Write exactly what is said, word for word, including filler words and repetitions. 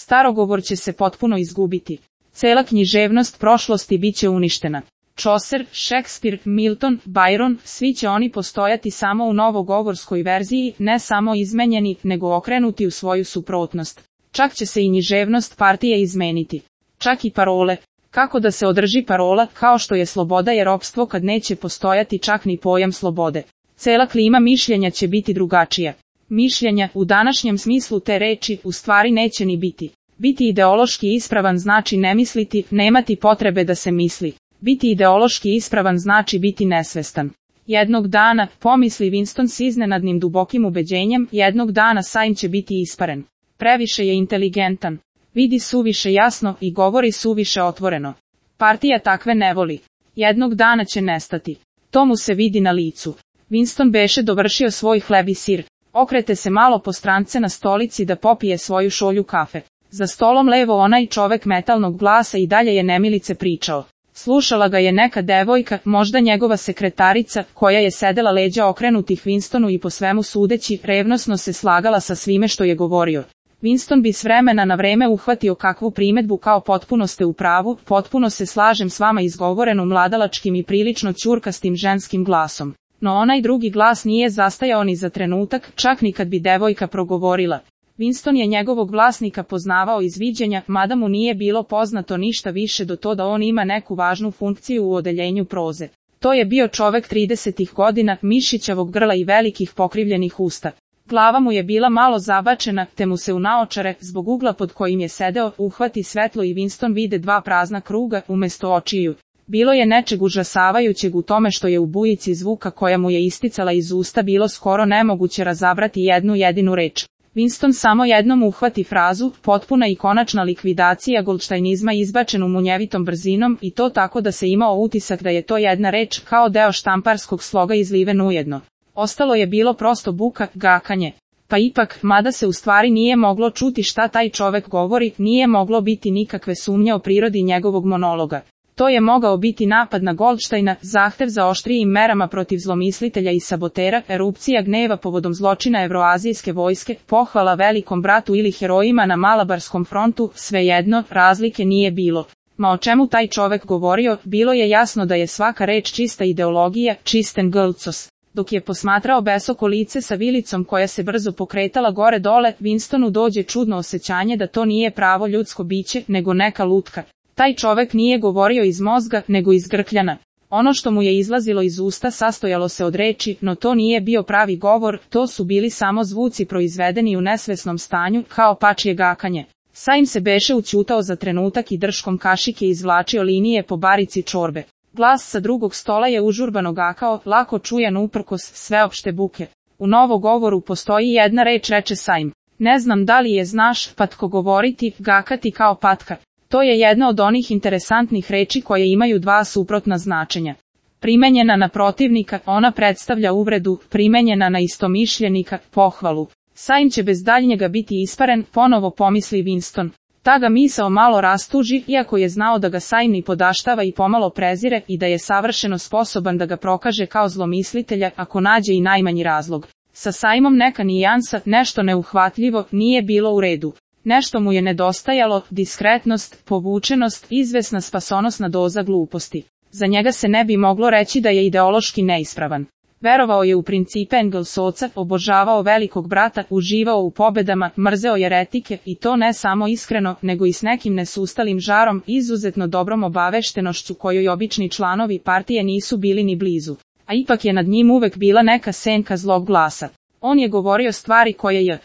Starogovor će se potpuno izgubiti. Cela književnost prošlosti bit će uništena. Chaucer, Shakespeare, Milton, Byron, svi će oni postojati samo u novogovorskoj verziji, ne samo izmenjeni, nego okrenuti u svoju suprotnost. Čak će se i književnost partije izmeniti. Čak i parole. Kako da se održi parola, kao što je sloboda je ropstvo kad neće postojati čak ni pojam slobode. Cela klima mišljenja će biti drugačija. Mišljenja, u današnjem smislu te reči, u stvari neće ni biti. Biti ideološki ispravan znači ne misliti, nemati potrebe da se misli. Biti ideološki ispravan znači biti nesvestan. Jednog dana, pomisli Winston s iznenadnim dubokim ubeđenjem, jednog dana Sajm će biti isparen. Previše je inteligentan. Vidi suviše jasno i govori suviše otvoreno. Partija takve ne voli. Jednog dana će nestati. To mu se vidi na licu. Winston beše dovršio svoj hleb i sir. Okrete se malo po strance na stolici da popije svoju šolju kafe. Za stolom levo onaj čovek metalnog glasa i dalje je nemilice pričao. Slušala ga je neka devojka, možda njegova sekretarica, koja je sedela leđa okrenutih Winstonu i po svemu sudeći, revnosno se slagala sa svime što je govorio. Winston bi s vremena na vreme uhvatio kakvu primedbu kao potpuno ste u pravu, potpuno se slažem s vama izgovorenu mladalačkim i prilično ćurkastim ženskim glasom. No onaj drugi glas nije zastajao ni za trenutak, čak ni kad bi devojka progovorila. Winston je njegovog vlasnika poznavao iz viđenja, mada mu nije bilo poznato ništa više do to da on ima neku važnu funkciju u odeljenju proze. To je bio čovek tridesetih godina, mišićavog grla i velikih pokrivljenih usta. Glava mu je bila malo zabačena, te mu se u naočare, zbog ugla pod kojim je sedeo, uhvati svetlo i Winston vide dva prazna kruga, umesto očiju. Bilo je nečeg užasavajućeg u tome što je u bujici zvuka koja mu je isticala iz usta bilo skoro nemoguće razabrati jednu jedinu reč. Winston samo jednom uhvati frazu, potpuna i konačna likvidacija goldštajnizma izbačenu munjevitom brzinom i to tako da se imao utisak da je to jedna reč kao deo štamparskog sloga izliven ujedno. Ostalo je bilo prosto buka, gakanje. Pa ipak, mada se u stvari nije moglo čuti šta taj čovek govori, nije moglo biti nikakve sumnje o prirodi njegovog monologa. To je mogao biti napad na Goldštajna, zahtev za oštrijim merama protiv zlomislitelja i sabotera, erupcija gneva povodom zločina evroazijske vojske, pohvala velikom bratu ili herojima na Malabarskom frontu, svejedno, razlike nije bilo. Ma o čemu taj čovek govorio, bilo je jasno da je svaka reč čista ideologija, čisten glcos. Dok je posmatrao besoko lice sa vilicom koja se brzo pokretala gore dole, Winstonu dođe čudno osjećanje da to nije pravo ljudsko biće, nego neka lutka. Taj čovek nije govorio iz mozga, nego iz grkljana. Ono što mu je izlazilo iz usta sastojalo se od reči, no to nije bio pravi govor, to su bili samo zvuci proizvedeni u nesvesnom stanju, kao pačje gakanje. Sajm se beše ućutao za trenutak i drškom kašike izvlačio linije po barici čorbe. Glas sa drugog stola je užurbano gakao, lako čujan uprkos sveopšte buke. U novogovoru postoji jedna reč, reče Sajm. Ne znam da li je znaš, patko govoriti, gakati kao patka. To je jedna od onih interesantnih reči koje imaju dva suprotna značenja. Primenjena na protivnika, ona predstavlja uvredu, primenjena na istomišljenika, pohvalu. Sajm će bez daljnjega biti isparen, ponovo pomisli Winston. Ta ga misao malo rastuži, iako je znao da ga Sajm ni podaštava i pomalo prezire i da je savršeno sposoban da ga prokaže kao zlomislitelja ako nađe i najmanji razlog. Sa Sajmom neka nijansa, nešto neuhvatljivo, nije bilo u redu. Nešto mu je nedostajalo, diskretnost, povučenost, izvesna spasonosna doza gluposti. Za njega se ne bi moglo reći da je ideološki neispravan. Verovao je u principe Engelsovca, obožavao velikog brata, uživao u pobedama, mrzeo jeretike i to ne samo iskreno, nego i s nekim nesustalim žarom, izuzetno dobrom obaveštenošću kojoj obični članovi partije nisu bili ni blizu. A ipak je nad njim uvek bila neka senka zlog glasa. On je govorio stvari koje je